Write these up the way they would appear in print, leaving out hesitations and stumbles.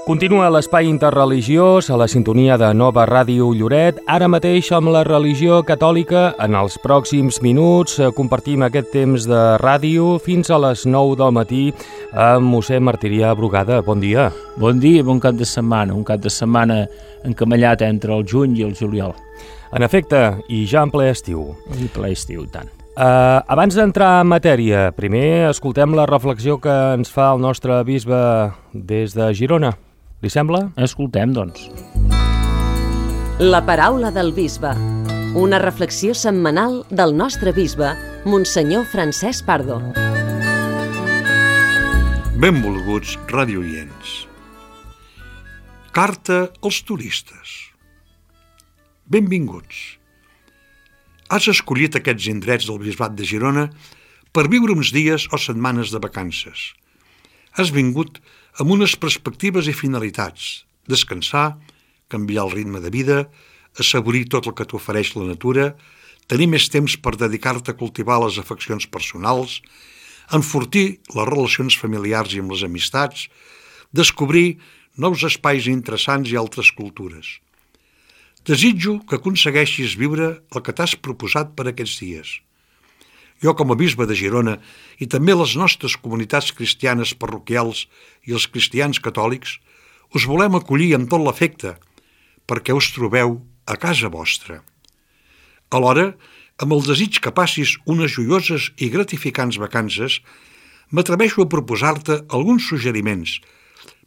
Continua l'espai interreligiós a la sintonia de Nova Ràdio Lloret. Ara mateix amb la religió catòlica. En els pròxims minuts compartim aquest temps de ràdio fins a les 9 del matí amb mossèn Martirià Brugada. Bon dia. Bon dia i bon cap de setmana. Un cap de setmana encamellat entre el juny i el juliol. En efecte, i ja en ple estiu. I ple estiu, tant. Abans d'entrar en matèria, primer escoltem la reflexió que ens fa el nostre bisbe des de Girona. Li sembla? Escoltem, doncs. La paraula del bisbe. Una reflexió setmanal del nostre bisbe, Monsenyor Francesc Pardo. Benvolguts radiooients. Carta als turistes. Benvinguts. Has escollit aquests indrets del bisbat de Girona per viure uns dies o setmanes de vacances. Has vingut amb unes perspectives i finalitats: descansar, canviar el ritme de vida, assaborir tot el que t'ofereix la natura, tenir més temps per dedicar-te a cultivar les afeccions personals, enfortir les relacions familiars i amb les amistats, descobrir nous espais interessants i altres cultures. Desitjo que aconsegueixis viure el que t'has proposat per aquests dies. Jo, com a bisbe de Girona, i també les nostres comunitats cristianes parroquials i els cristians catòlics, us volem acollir amb tot l'afecte, perquè us trobeu a casa vostra. Alhora, amb el desig que passis unes joioses i gratificants vacances, m'atreveixo a proposar-te alguns suggeriments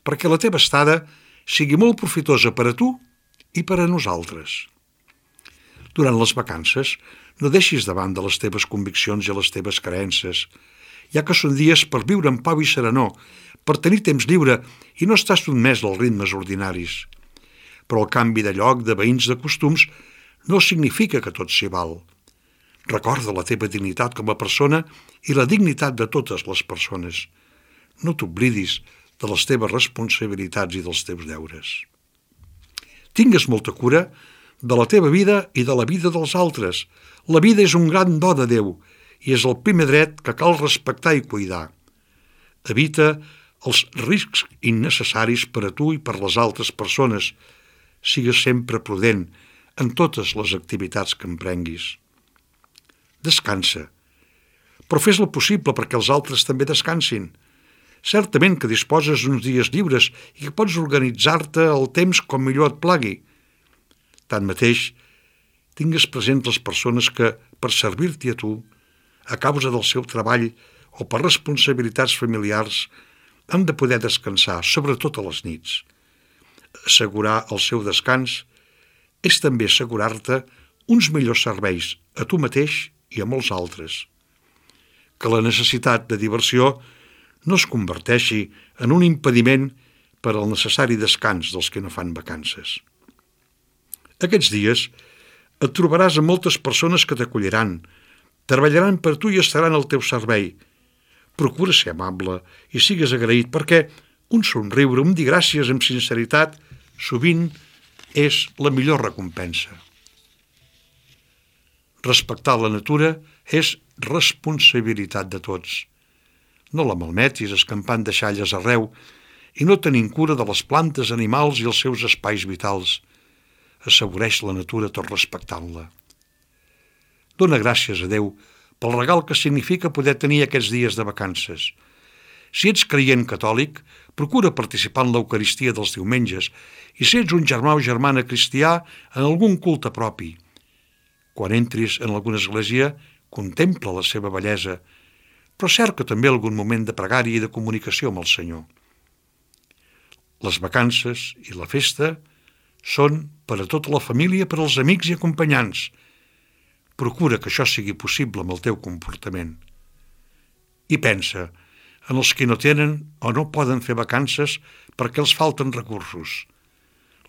perquè la teva estada sigui molt profitosa per a tu i per a nosaltres. Durant les vacances, no deixis de banda les teves conviccions i les teves creences, ja que són dies per viure en pau i serenor, per tenir temps lliure i no estar sotmès als ritmes ordinaris. Però el canvi de lloc, de veïns, de costums, no significa que tot s'hi val. Recorda la teva dignitat com a persona i la dignitat de totes les persones. No t'oblidis de les teves responsabilitats i dels teus deures. Tingues molta cura de la teva vida i de la vida dels altres. La vida és un gran do de Déu i és el primer dret que cal respectar i cuidar. Evita els riscs innecessaris per a tu i per les altres persones. Sigues sempre prudent en totes les activitats que emprenguis. Descansa, però fes el possible perquè els altres també descansin. Certament que disposes d'uns dies lliures i que pots organitzar-te el temps com millor et plagui. Tanmateix, tingues present les persones que, per servir-t'hi a tu, a causa del seu treball o per responsabilitats familiars, han de poder descansar, sobretot a les nits. Assegurar el seu descans és també assegurar-te uns millors serveis a tu mateix i a molts altres. Que la necessitat de diversió no es converteixi en un impediment per al necessari descans dels que no fan vacances. Aquests dies et trobaràs amb moltes persones que t'acolliran, treballaran per tu i estaran al teu servei. Procura ser amable i sigues agraït perquè un somriure, un dir gràcies amb sinceritat, sovint és la millor recompensa. Respectar la natura és responsabilitat de tots. No la malmetis escampant deixalles arreu i no tenint cura de les plantes, animals i els seus espais vitals. Assaboreix la natura tot respectant-la. Dóna gràcies a Déu pel regal que significa poder tenir aquests dies de vacances. Si ets creient catòlic, procura participar en l'Eucaristia dels diumenges i si ets un germà o germana cristià, en algun culte propi. Quan entris en alguna església, contempla la seva bellesa, però cerca també algun moment de pregària i de comunicació amb el Senyor. Les vacances i la festa són per a tota la família, per als amics i acompanyants. Procura que això sigui possible amb el teu comportament. I pensa en els que no tenen o no poden fer vacances perquè els falten recursos.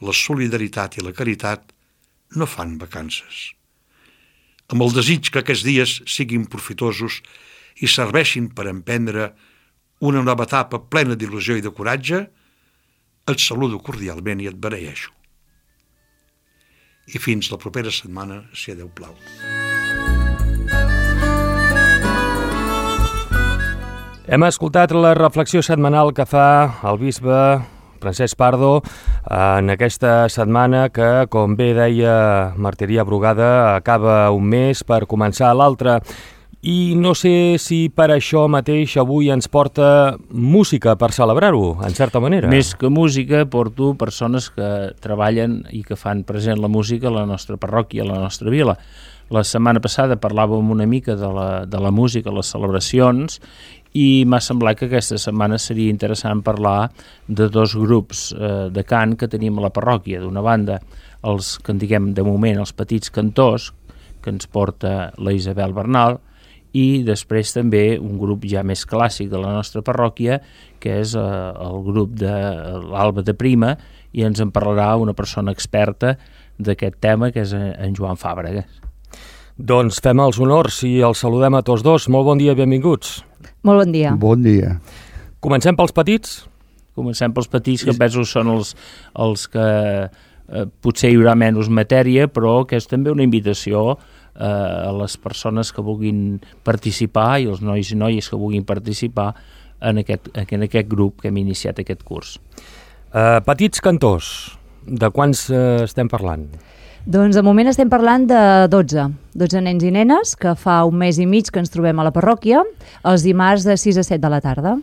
La solidaritat i la caritat no fan vacances. Amb el desig que aquests dies siguin profitosos i serveixin per emprendre una nova etapa plena d'il·lusió i de coratge, et saludo cordialment i et beneeixo. I fins la propera setmana, si a Déu plau. Hem escoltat la reflexió setmanal que fa el bisbe Francesc Pardo en aquesta setmana que, com bé deia Martiria Brugada, acaba un mes per començar l'altre. I no sé si per això mateix avui ens porta música per celebrar-ho, en certa manera. Més que música, porto persones que treballen i que fan present la música a la nostra parròquia, a la nostra vila. La setmana passada parlàvem una mica de la música, les celebracions, i m'ha semblat que aquesta setmana seria interessant parlar de dos grups de cant que tenim a la parròquia. D'una banda, els que en diguem de moment els petits cantors, que ens porta la Isabel Bernal, i després també un grup ja més clàssic de la nostra parròquia, que és el grup de l'Alba de Prima, i ens en parlarà una persona experta d'aquest tema, que és en Joan Fàbregas. Doncs fem els honors i els saludem a tots dos. Molt bon dia i benvinguts. Molt bon dia. Bon dia. Comencem pels petits? Comencem pels petits, que penso són els que potser hi haurà menys matèria, però que és també una invitació a les persones que vulguin participar i els nois i noies que vulguin participar en aquest grup que hem iniciat aquest curs. Petits cantors, de quants estem parlant? Doncs de moment estem parlant de 12 nens i nenes, que fa un mes i mig que ens trobem a la parròquia, els dimarts de 6 a 7 de la tarda.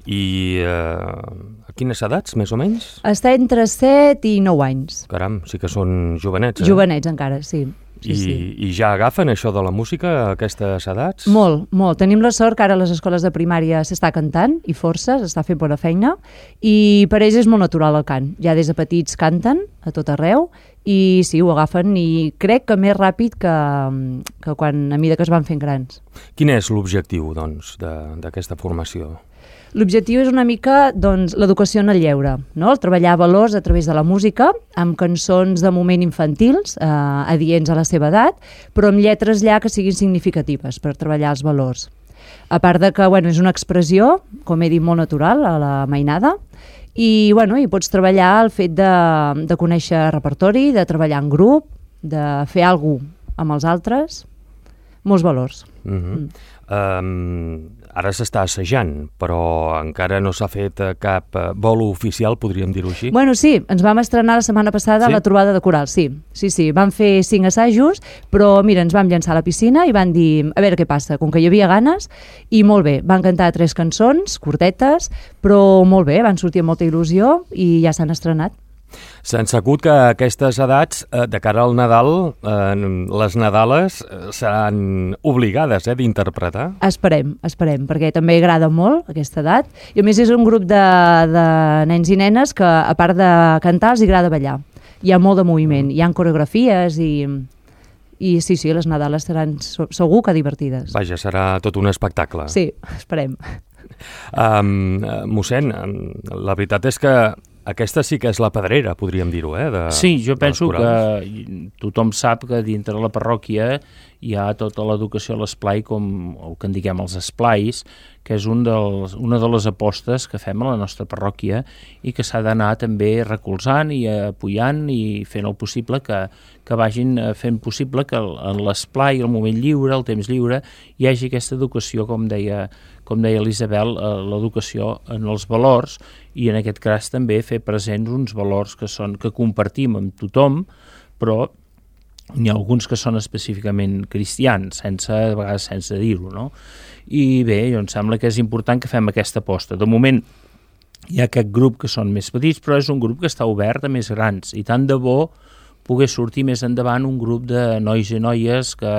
I a quines edats, més o menys? Està entre 7 i 9 anys. Caram, sí que són jovenets, eh? Jovenets encara, sí. I ja agafen això de la música a aquestes edats? Molt. Tenim la sort que ara a les escoles de primària s'està cantant, i força, s'està fent bona feina, i per ells és molt natural el cant. Ja des de petits canten a tot arreu, i sí, ho agafen, i crec que més ràpid que quan a mesura que es van fent grans. Quin és l'objectiu, doncs, d'aquesta formació? L'objectiu és una mica l'educació en el lleure, no? El treballar valors a través de la música, amb cançons de moment infantils, adients a la seva edat, però amb lletres ja que siguin significatives per treballar els valors. A part de que és una expressió, com he dit, molt natural a la mainada, i hi pots treballar el fet de conèixer repertori, de treballar en grup, de fer alguna cosa amb els altres, molts valors. Ara s'està assajant, però encara no s'ha fet cap bolo oficial, podríem dir-ho així? Sí, ens vam estrenar la setmana passada la trobada de coral, sí. Van fer 5 assajos, però mira, ens vam llançar a la piscina i van dir, a veure què passa, com que hi havia ganes, i molt bé, van cantar 3 cançons, curtetes, però molt bé, van sortir amb molta il·lusió i ja s'han estrenat. S'han sabut que a aquestes edats, de cara al Nadal, les Nadales seran obligades d'interpretar? Esperem, perquè també agrada molt aquesta edat. I a més és un grup de nens i nenes que, a part de cantar, els agrada ballar. Hi ha molt de moviment, hi ha coreografies i sí, les Nadales seran segur que divertides. Vaja, serà tot un espectacle. Sí, esperem. Mossèn, la veritat és que aquesta sí que és la pedrera, podríem dir-ho, Sí, jo penso que tothom sap que dintre la parròquia hi ha tota l'educació a l'esplai, com el que en diguem els esplais, que és una de les apostes que fem a la nostra parròquia i que s'ha d'anar també recolzant i apoyant i fent el possible que vagin fent possible que en l'esplai, el moment lliure, el temps lliure, hi hagi aquesta educació, com deia l'Isabel, l'educació en els valors i en aquest cas també fer presents uns valors que compartim amb tothom, però n'hi ha alguns que són específicament cristians, a vegades sense dir-ho, no? I bé, em sembla que és important que fem aquesta aposta. De moment hi ha aquest grup que són més petits, però és un grup que està obert a més grans, i tant de bo pogués sortir més endavant un grup de nois i noies que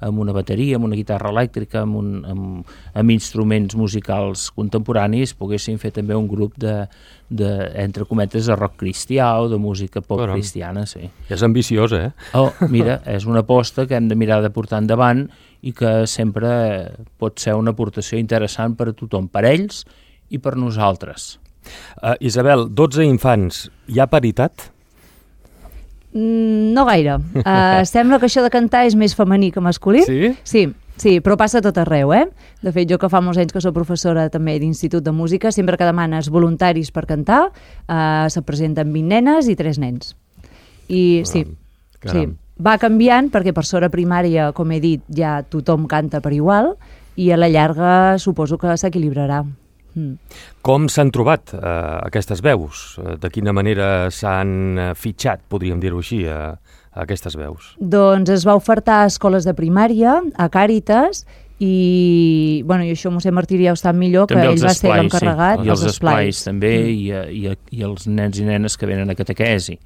amb una bateria, amb una guitarra elèctrica, amb instruments musicals contemporanis, poguessin fer també un grup entre cometes, de rock cristià o de música pop cristiana, sí. És ambiciós, eh? Mira, és una aposta que hem de mirar de portar endavant i que sempre pot ser una aportació interessant per a tothom, per ells i per nosaltres. Isabel, 12 infants, hi ha paritat? No gaire. Sembla que això de cantar és més femení que masculí. Sí? Sí, però passa a tot arreu, eh? De fet, jo que fa molts anys que soc professora també d'Institut de Música, sempre que demanes voluntaris per cantar, se presenten 20 nenes i 3 nens. I sí, va canviant perquè per sort a primària, com he dit, ja tothom canta per igual i a la llarga suposo que s'equilibrarà. Com s'han trobat aquestes veus? De quina manera s'han fitxat, podríem dir-ho així, aquestes veus? Doncs es va ofertar a escoles de primària, a Càritas, i això mossèn Martiri ja ho sap millor, que ell va ser l'encarregat. I els esplais també, i els nens i nenes que venen a catequesi.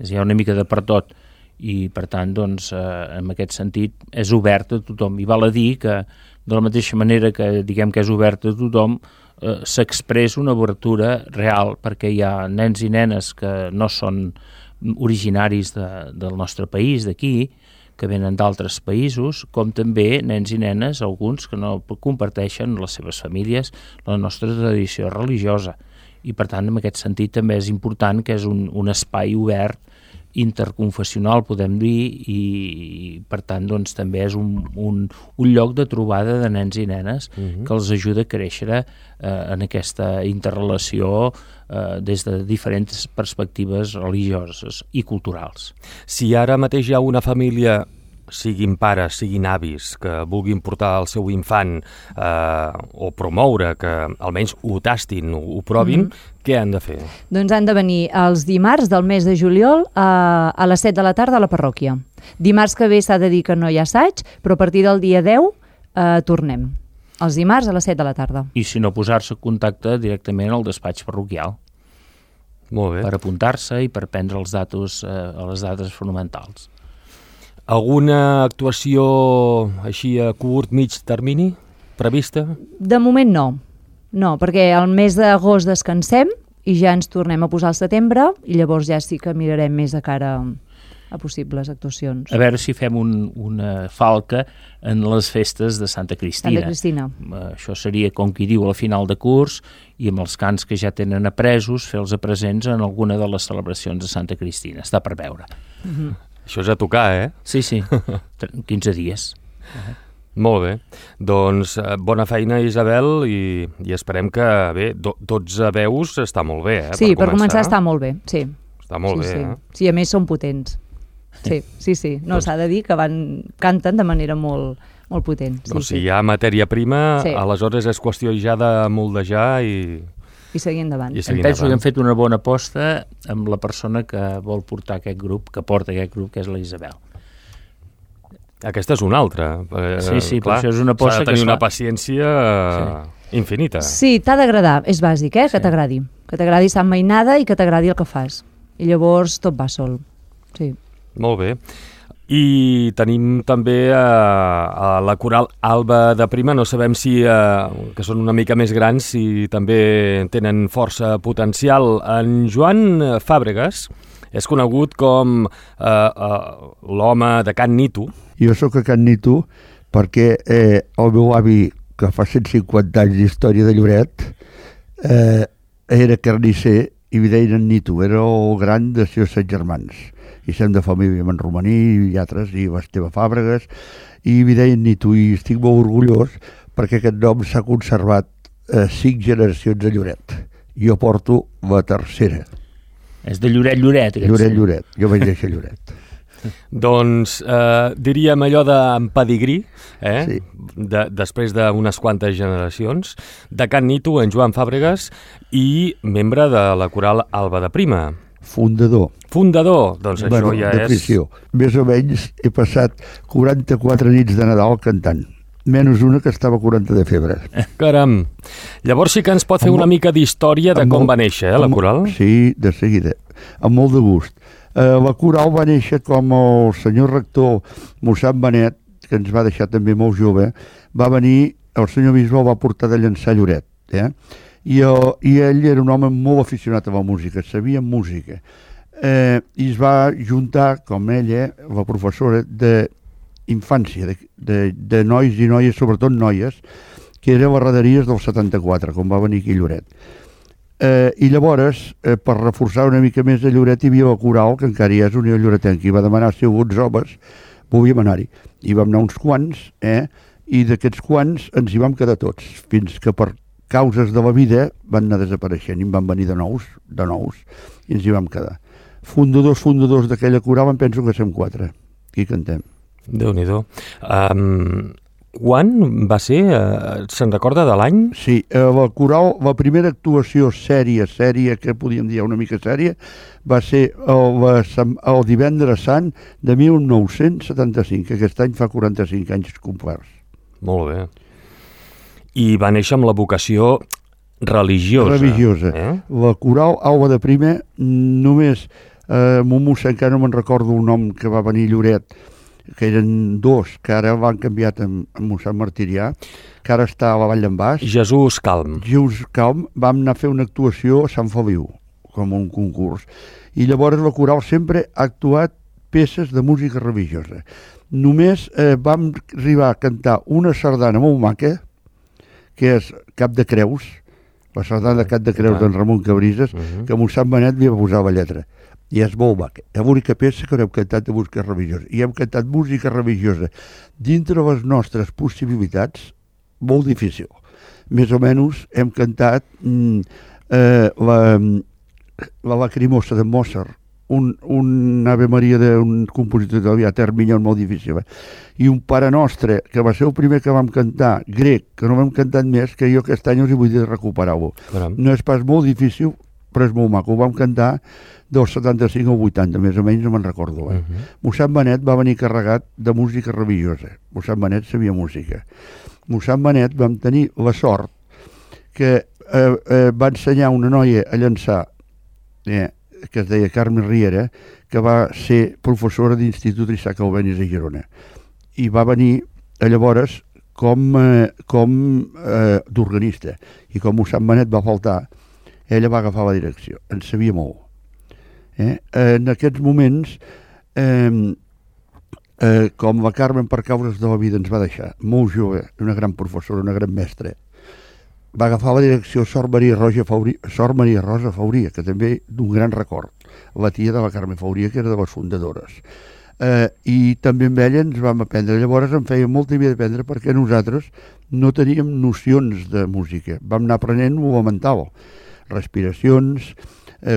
Hi ha una mica de per tot, i per tant, doncs, en aquest sentit, és obert a tothom. I val a dir que, de la mateixa manera que diguem que és obert a tothom, s'expressa una obertura real, perquè hi ha nens i nenes que no són originaris del nostre país, d'aquí, que venen d'altres països, com també nens i nenes, alguns que no comparteixen les seves famílies la nostra tradició religiosa. I per tant, en aquest sentit, també és important que és un espai obert, interconfessional, podem dir, i per tant, doncs, també és un lloc de trobada de nens i nenes que els ajuda a créixer en aquesta interrelació des de diferents perspectives religioses i culturals. Si ara mateix hi ha una família, siguin pares, siguin avis, que vulguin portar el seu infant o promoure que almenys ho tastin, ho provin, què han de fer? Doncs han de venir els dimarts del mes de juliol a les 7 de la tarda a la parròquia. Dimarts que ve s'ha de dir que no hi ha assaig, però a partir del dia 10 tornem. Els dimarts a les 7 de la tarda. I si no, posar-se en contacte directament al despatx parroquial. Molt bé. Per apuntar-se i per prendre les dades fonamentals. Alguna actuació així a curt, mig termini prevista? De moment no. No, perquè al mes d'agost descansem i ja ens tornem a posar al setembre i llavors ja sí que mirarem més de cara a possibles actuacions. A veure si fem una falca en les festes de Santa Cristina. Santa Cristina. Això seria, com qui diu, a la final de curs, i amb els cants que ja tenen apresos, fer-los presents en alguna de les celebracions de Santa Cristina. Està per veure. Això és a tocar, Sí, 15 dies. Molt bé. Doncs bona feina, Isabel, i esperem que, bé, 12 veus està molt bé, Sí, per començar està molt bé, sí. Està molt bé, Sí, a més són potents. Sí. No, s'ha de dir que canten de manera molt potent. Doncs si hi ha matèria prima, aleshores és qüestió ja de moldejar i seguir endavant. Penso que hem fet una bona aposta amb la persona que vol portar aquest grup, que és la Isabel. Aquesta és una altra. Sí, clar, però això és una aposta que s'ha de tenir una paciència infinita. Sí, t'ha d'agradar, és bàsic, que t'agradi. Que t'agradi Sant Mainada i que t'agradi el que fas. I llavors tot va sol. Sí. Molt bé. I tenim també a la coral Alba de Prima, no sabem si, que són una mica més grans, si també tenen força potencial. En Joan Fàbregas és conegut com l'home de Can Nito. Jo sóc a Can Nito perquè el meu avi, que fa 150 anys d'història de Lloret, era carnisser i li deien en Nito, era el gran de 7 germans. I som de família en Romaní i altres, i Esteve Fàbregas, i li deien Nito, i estic molt orgullós perquè aquest nom s'ha conservat 5 generacions a Lloret. Jo porto la tercera. És de Lloret. Lloret. Jo vaig néixer a Lloret. Doncs diríem allò d'en pedigrí, Sí. Després d'unes quantes generacions, de Can Nito, en Joan Fàbregas, i membre de la coral Alba de Prima. Fundador, doncs això ja és... Més o menys he passat 44 nits de Nadal cantant, menys una que estava 40 de febre. Caram! Llavors sí que ens pot fer una mica d'història de com va néixer, la coral? Sí, de seguida, amb molt de gust. La coral va néixer com el senyor rector mossèn Benet, que ens va deixar també molt jove, va venir, el senyor bisbe el va portar de Llançà a Lloret, I ell era un home molt aficionat a la música, sabia música, i es va juntar, com ella, la professora d'infància, de nois i noies, sobretot noies, que era a les Raderies del 74, com va venir aquí a Lloret. I llavors, per reforçar una mica més a Lloret, hi havia la coral, que encara hi és Unió Lloretenca, i va demanar si alguns homes volíem anar-hi. I vam anar uns quants, i d'aquests quants ens hi vam quedar tots, fins que per causes de la vida van anar desapareixent i van venir de nous, i ens hi vam quedar. Fundadors d'aquella coral, em penso que som 4. Aquí cantem. Déu-n'hi-do. Quan va ser? Se'n recorda de l'any? Sí, la coral, la primera actuació sèria que podíem dir una mica sèria, va ser el divendres sant de 1975, aquest any fa 45 anys complerts. Molt bé. I va néixer amb la vocació religiosa. La coral Alba de Primer, només mon mossèn, que no me'n recordo el nom, que va venir Lloret, que eren dos, que ara l'han canviat amb mossèn Martirià, que ara està a la Vall d'en Bas. Jesús Calm. Vam anar a fer una actuació a Sant Feliu, com un concurs. I llavors la coral sempre ha actuat peces de música religiosa. Només vam arribar a cantar una sardana molt maca, que és Cap de Creus, la sardana de Cap de Creus d'en Ramon Cabrises, que mossèn Benet li va posar la lletra. I és molt maca. És l'única peça que hem cantat de música religiosa. I hem cantat música religiosa dintre les nostres possibilitats, molt difícil. Més o menys hem cantat la Lacrimosa de Mozart, un Ave Maria d'un compositor italià, Termignon, molt difícil. I un Pare Nostre, que va ser el primer que vam cantar, grec, que no vam cantat més, que jo aquest any us hi vull dir recuperar-ho. No és pas molt difícil, però és molt maco. Ho vam cantar del 75 al 80, més o menys, no me'n recordo. Mossèn Benet va venir carregat de música religiosa. Mossèn Benet sabia música. Mossèn Benet vam tenir la sort que va ensenyar una noia a llançar, que es deia Carme Riera, que va ser professora d'Institut Isaac Albéniz a Girona. I va venir llavors com d'organista. I com Mossèn Benet va faltar, ella va agafar la direcció. En sabia molt. En aquests moments, com la Carmen per causes de la vida ens va deixar, molt jove, una gran professora, una gran mestra, va agafar la direcció Sor Maria Rosa Fauria, que també d'un gran record, la tia de la Carme Fauria, que era de les fundadores. I també amb ella ens vam aprendre. Llavors em feia molta vida d'aprendre perquè nosaltres no teníem nocions de música. Vam anar aprenent lo mental, respiracions,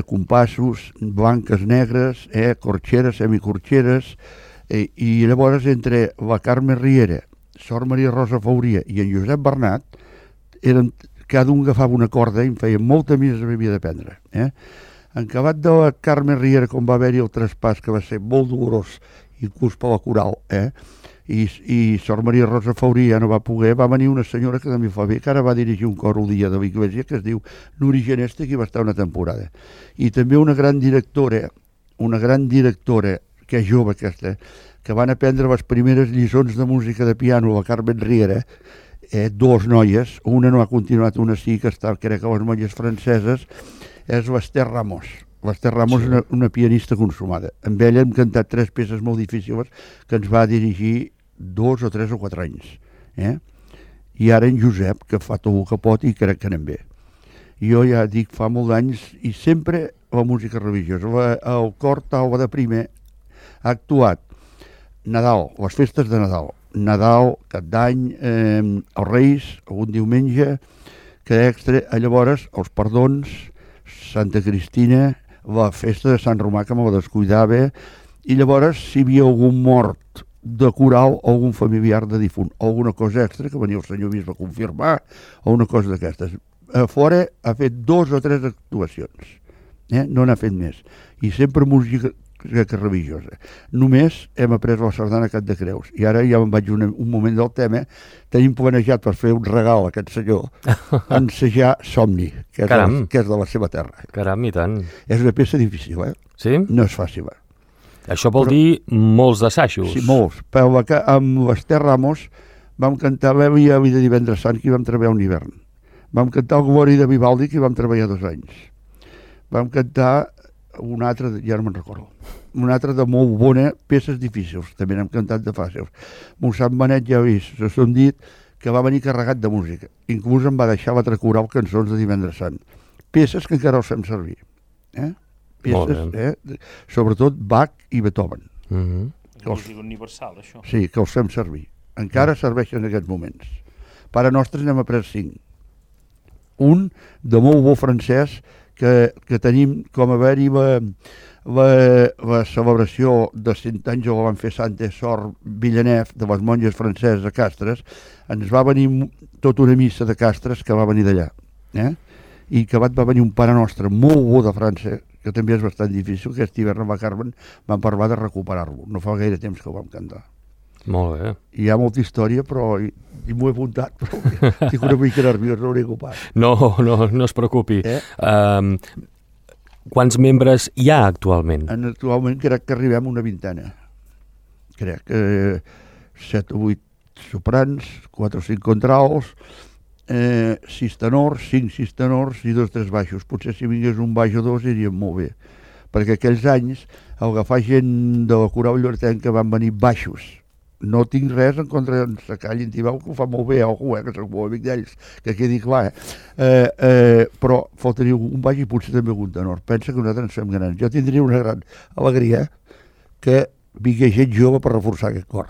compassos, blanques, negres, corxeres, semicorxeres, i llavors entre la Carme Riera, Sor Maria Rosa Fauria i en Josep Bernat, cada un agafava una corda i em feia molta més havia d'aprendre. En acabat de la Carme Riera, com va haver-hi el traspàs, que va ser molt dolorós, inclús per la coral, i Sor Maria Rosa Fauria ja no va poder, va venir una senyora que també fa bé, que ara va dirigir un cor el dia de l'Iglésia, que es diu Nuri Geneste, que va estar una temporada. I també una gran directora, que és jove aquesta, que van aprendre les primeres lliçons de música de piano, la Carmen Riera, dues noies, una no ha continuat, una sí, que està, crec que les molles franceses, és l'Ester Ramos. L'Ester Ramos és una pianista consumada. Amb ella hem cantat 3 peces molt difícils que ens va dirigir 2 o 3 o 4 anys. I ara en Josep, que fa tot el que pot i crec que anem bé. Jo ja dic, fa molts anys, i sempre la música religiosa. El cor Alba de Primer ha actuat Nadal, les festes de Nadal, Cap d'Any, els Reis, algun diumenge, que extra, llavors els perdons, Santa Cristina, la festa de Sant Romà, que me la descuidava, i llavors si hi havia algun mort de coral o algun familiar de difunt, o alguna cosa extra, que venia el senyor bisbe a confirmar, o una cosa d'aquestes. A fora ha fet 2 o 3 actuacions, no n'ha fet més, i sempre música religiosa. Només hem après la sardana Cap de Creus, i ara ja me'n vaig un moment del tema. Tenim planejat per fer un regal a aquest senyor, ensejar Somni, que és de la seva terra. Caram, i tant. És una peça difícil, Sí? No és fàcil, Això vol dir molts assajos. Sí, molts. Però amb l'Ester Ramos vam cantar l'Elia de Divendres Sant, que hi vam treballar un hivern. Vam cantar el Glòria de Vivaldi, que hi vam treballar 2 anys. Vam cantar un altre, ja no me'n recordo, un altre de molt bona, peces difícils, també n'hem cantat de fàcils. Mossèn Benet, ja he vist, s'ho han dit, que va venir carregat de música. Inclús em va deixar l'altre coral cançons de Divendres Sant. Peces que encara els fem servir. Peces, sobretot Bach i Beethoven. Música universal, això. Sí, que els fem servir. Encara serveixen en aquests moments. Pare Nostre n'hem après 5. Un de molt bo francès, que tenim com haver-hi la celebració de 100 anys que van fer Santa Sor Villeneuve de les monges franceses a Castres. Ens va venir tota una missa de Castres que va venir d'allà, i que va venir un Pare Nostre molt bo de França, que també és bastant difícil, que aquest hivern amb la Carmen van parlar de recuperar-lo. No fa gaire temps que ho vam cantar. Molt bé. Hi ha molta història, però m'ho he apuntat, però estic una mica nerviós, no ho he ocupat. No es preocupi. Quants membres hi ha actualment? Actualment crec que arribem a una vintena. Crec que 7 o 8 soprans, 4 o 5 contrals, 6 tenors, 5 tenors i 2 o 3 baixos. Potser si vingués un baix o 2 iríem molt bé. Perquè aquells anys, al agafar gent de la coral lloretenca van venir baixos. No tinc res en contra d'en Sacall i en Tibau, que ho fa molt bé algú, que soc molt amic d'ells, que quedi clar. Però faltaria un baix i potser també un tenor. Pensa que nosaltres ens fem grans. Jo tindria una gran alegria que vingués gent jove per reforçar aquest cor.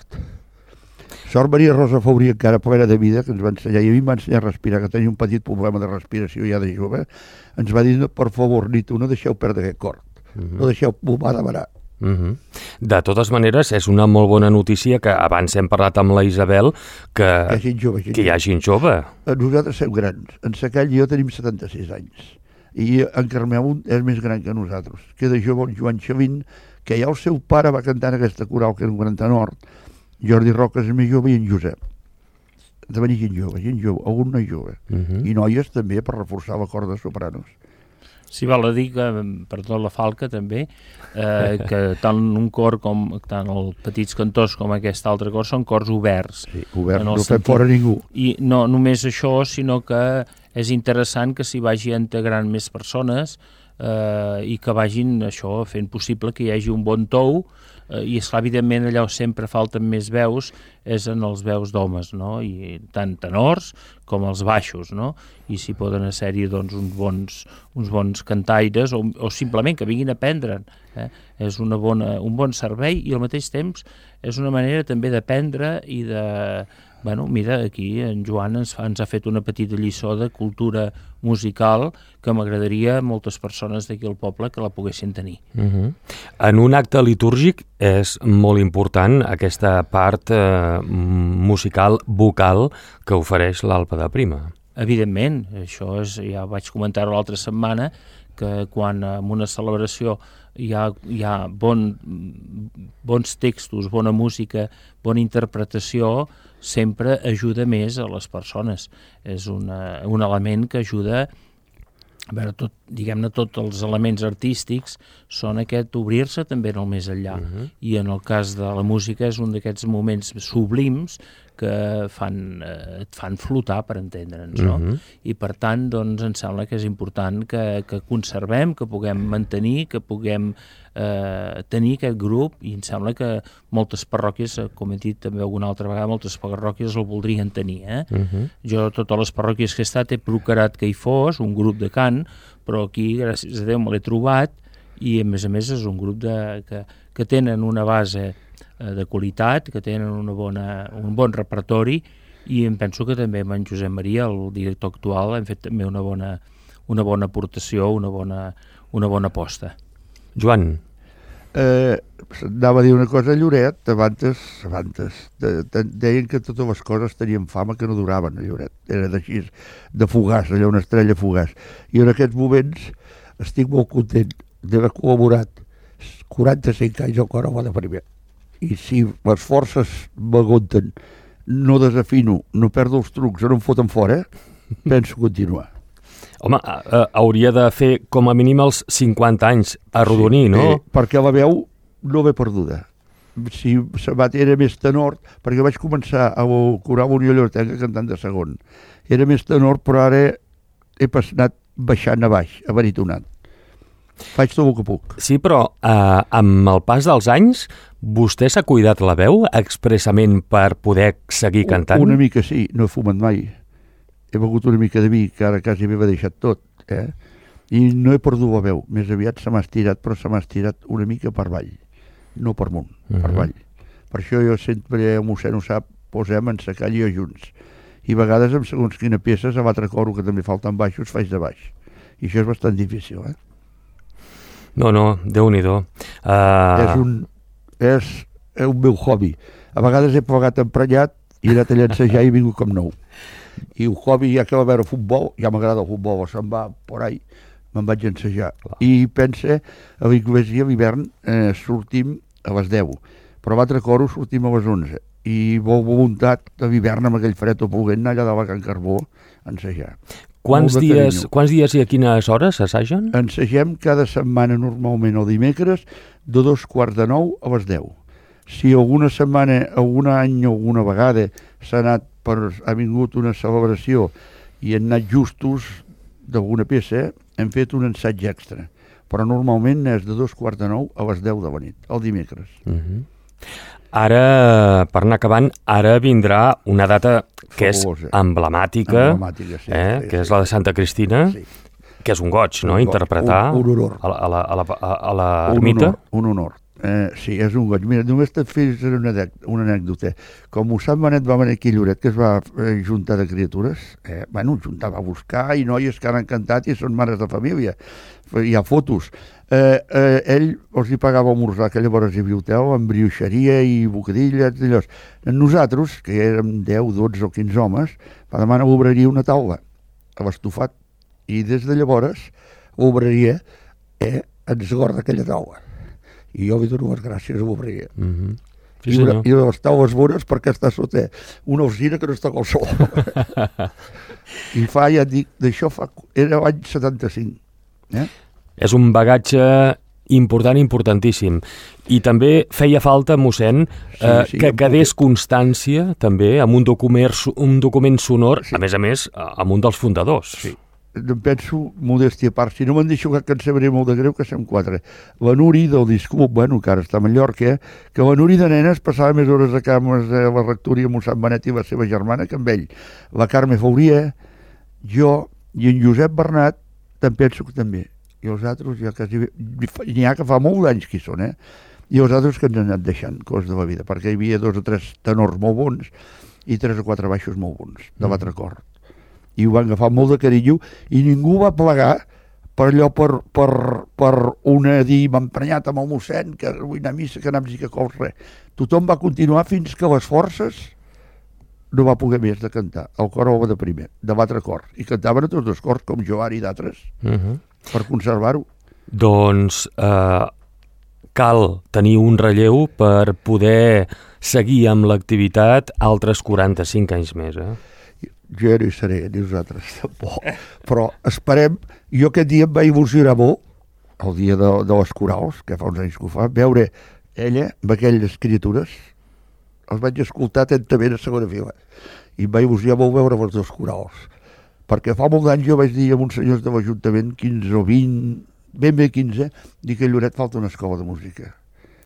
Sort Maria Rosa Fabrí, encara plena de vida, que ens va ensenyar, i a mi em va ensenyar a respirar, que tenia un petit problema de respiració ja de jove, ens va dir, per favor, Nito, no deixeu perdre aquest cor. No deixeu, m'ho va demanar. De totes maneres, és una molt bona notícia que abans hem parlat amb la Isabel que hi ha gent jove. Nosaltres som grans. En Sacall i jo tenim 76 anys. I en Carmeu és més gran que nosaltres. Queda jove el Joan Xavín, que ja el seu pare va cantar en aquesta coral, que era un gran tenor. Jordi Roca és més jove i en Josep. De venir gent jove, algun noi jove. I noies també per reforçar la corda de sopranos. Sí, val a dir que, perdó, la falca també, que tant un cor com tant els petits cantors com aquest altre cor són cors oberts. Sí, oberts, no fem fora ningú. I no només això, sinó que és interessant que s'hi vagi integrant més persones i que vagin això fent possible que hi hagi un bon tou, i esclar, evidentment allà on sempre falten més veus és en els veus d'homes, no? I tant tenors com els baixos, no? I si poden ser-hi doncs, uns bons cantaires o simplement que vinguin a aprendre'n. És un bon servei i al mateix temps és una manera també d'aprendre i de... Bueno, mira, aquí en Joan ens ha fet una petita lliçó de cultura musical que m'agradaria a moltes persones d'aquí al poble que la poguessin tenir. En un acte litúrgic és molt important aquesta part musical, vocal, que ofereix l'Alpa de Prima. Evidentment, això és, ja vaig comentar-ho l'altra setmana, que quan en una celebració hi ha bons textos, bona música, bona interpretació, sempre ajuda més a les persones. És un element que ajuda, a veure, diguem-ne, tots els elements artístics són aquest obrir-se també en el més enllà. I en el cas de la música és un d'aquests moments sublims que et fan flotar, per entendre'ns, no? I per tant, doncs, em sembla que és important que conservem, que puguem mantenir, que puguem tenir aquest grup, i em sembla que moltes parròquies, com he dit també alguna altra vegada, moltes parròquies el voldrien tenir. Jo, totes les parròquies que he estat, he procurat que hi fos un grup de cant, però aquí, gràcies a Déu, me l'he trobat, i a més és un grup que tenen una base de qualitat, que tenen un bon repertori, i em penso que també amb en Josep Maria, el director actual, hem fet també una bona aportació, una bona aposta. Joan. Anava a dir una cosa a Lloret, abans deien que totes les coses tenien fama que no duraven a Lloret, era d'així, de fugaç, allò, una estrella fugaç, i en aquests moments estic molt content d'haver col·laborat 45 anys al cor de Primer. I si les forces m'aguanten, no desafino, no perdo els trucs, no em foten fora, penso continuar. Home, hauria de fer com a mínim els 50 anys arrodonir, no? Perquè la veu no ve perduda. Si era més tenor, perquè vaig començar a corar Unió Lloretenca cantant de segon. Era més tenor, però ara he anat baixant a baix, a baritonat. Faig tot el que puc. Sí, però amb el pas dels anys, vostè s'ha cuidat la veu expressament per poder seguir cantant? Una mica sí, no he fumat mai. He begut una mica de vi, que ara quasi m'he deixat tot. I no he perdut la veu. Més aviat se m'ha estirat, però se m'ha estirat una mica per avall. No per amunt, per avall. Per això jo sempre, el mossèn ho sap, posem en Sacall i jo junts. I a vegades, amb segons quina peces, a l'altre coro, que també falten baixos, faig de baix. I això és bastant difícil, No, Déu-n'hi-do. És un meu hobby. A vegades he plegat emprenyat i he anat a llancejar i he vingut com nou. I un hobby, ja que va veure futbol, ja m'agrada el futbol, se'n va por ahí, me'n vaig llancejar. I pense, a l'església a l'hivern sortim a les 10, però a l'altre coro sortim a les 11. I vol voluntat de l'hivern amb aquell fred o ploguent anar allà de la Can Carbó a ensejar. Quants dies i a quines hores assagen? Ensegem cada setmana normalment el dimecres de 8:45 a les 10. Si alguna setmana, algun any o alguna vegada ha vingut una celebració i han anat justos d'alguna peça, hem fet un ensaig extra. Però normalment és de 8:45 a les 10 de la nit, el dimecres. Ara, per anar acabant, ara vindrà una data que és emblemàtica, sí, que és la de Santa Cristina, que és un goig, no?, interpretar un honor. A l'ermita. Un honor. Sí, és un goig. Mira, només te fes una anècdota. Com Mossèn Benet va venir aquí a Lloret, que es va juntar de criatures, juntava a buscar, i noies que han encantat i són mares de família. Hi ha fotos. Ell els hi pagava esmorzar, que llavors hi havia hotel, amb brioixeria i bocadilles i allò. Nosaltres, que érem 10, 12 o 15 homes, va demanar obreria una taula a l'estofat, i des de llavors l'obreria ens guarda aquella taula. I jo li dono les gràcies a l'obreria. I les taules bones perquè està sota una alzina que no està qualsevol. I ja et dic, d'això era l'any 75. És un bagatge importantíssim. I també feia falta, mossèn, que quedés constància també amb un document sonor, a més, amb un dels fundadors. Sí. Em penso, modèstia a part, si no me'n deixo que em sabré molt de greu, que som 4. La Nuri del disc club, que ara està a Mallorca, que la Nuri de nenes passava més hores a cames a la rectoria amb Sant Benet i la seva germana que amb ell. La Carme Fauria, jo i en Josep Bernat, te'n penso que també. I els altres, n'hi ha que fa molts anys que hi són, i els altres que ens han anat deixant coses de la vida, perquè hi havia 2 o 3 tenors molt bons i 3 o 4 baixos molt bons, de l'altre cor. I ho van agafar molt de carinyo i ningú va plegar per allò, per una dir m'ha emprenyat amb el mossèn, que vull anar a missa, que anàvem a cols, res. Tothom va continuar fins que les forces no va poder més de cantar. El cor va de primer, de l'altre cor. I cantaven a tots els cors, com Joan i d'altres, per conservar-ho. Doncs cal tenir un relleu per poder seguir amb l'activitat altres 45 anys més, Jo ja no hi seré, ni nosaltres tampoc. Però esperem, jo aquest dia em va il·lusionar molt, el dia de les corals, que fa uns anys que ho fa, veure ella amb aquelles criatures, els vaig escoltar atentament a segona fila, i em va il·lusionar molt veure els 2 corals. Perquè fa molt d'anys jo vaig dir a uns senyors de l'Ajuntament, 15 o 20, ben bé 15, dic que a Lloret falta una escola de música.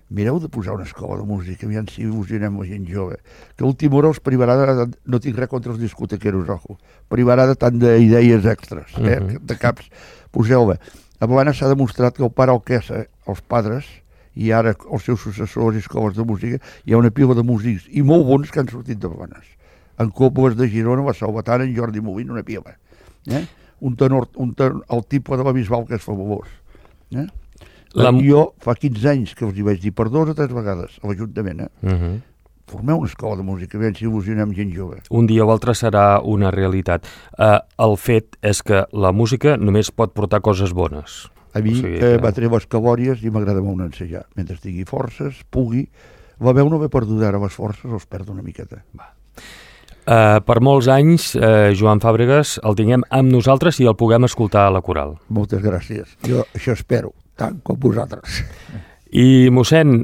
Mireu de posar una escola de música, aviam si il·lusionem la gent jove. Que a última hora els privarà, no tinc res contra els discotequeros, ojo, privarà de tant d'idees extras, de caps. Poseu-la. A Blanes s'ha demostrat que el pare Alquessa, els padres, i ara els seus successors i escoles de música, hi ha una pila de músics, i molt bons que han sortit de Blanes. En Cobles de Girona, la Salvatana, en Jordi Molina, una pila. Un tenor, el tipus de la Bisbal, que és fabulós. Jo fa 15 anys que els hi vaig dir per 2 o 3 vegades a l'Ajuntament, formeu una escola de música, aviam si il·lusionem gent jove. Un dia o altre serà una realitat. El fet és que la música només pot portar coses bones. A mi va tenir les cabòries i m'agrada molt ensejar. Mentre tingui forces, pugui. La veu no ve perduda, ara les forces els perdo una miqueta. Per molts anys, Joan Fàbregas, el tinguem amb nosaltres i el puguem escoltar a la coral. Moltes gràcies. Jo això espero, tant com vosaltres. I, mossèn,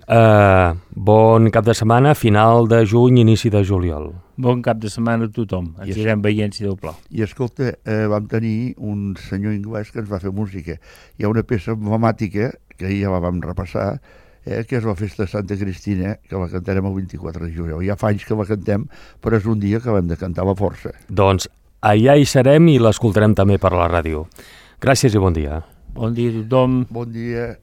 bon cap de setmana, final de juny, inici de juliol. Bon cap de setmana a tothom. Ens irem veient si Déu plau. I escolta, vam tenir un senyor anglès que ens va fer música. Hi ha una peça emblemàtica, que ja la vam repassar, que és la festa de Santa Cristina, que la cantarem el 24 de juliol. Ja fa anys que la cantem, però és un dia que l'hem de cantar a la força. Doncs allà hi serem i l'escoltarem també per la ràdio. Gràcies i bon dia. Bon dia a tothom. Bon dia.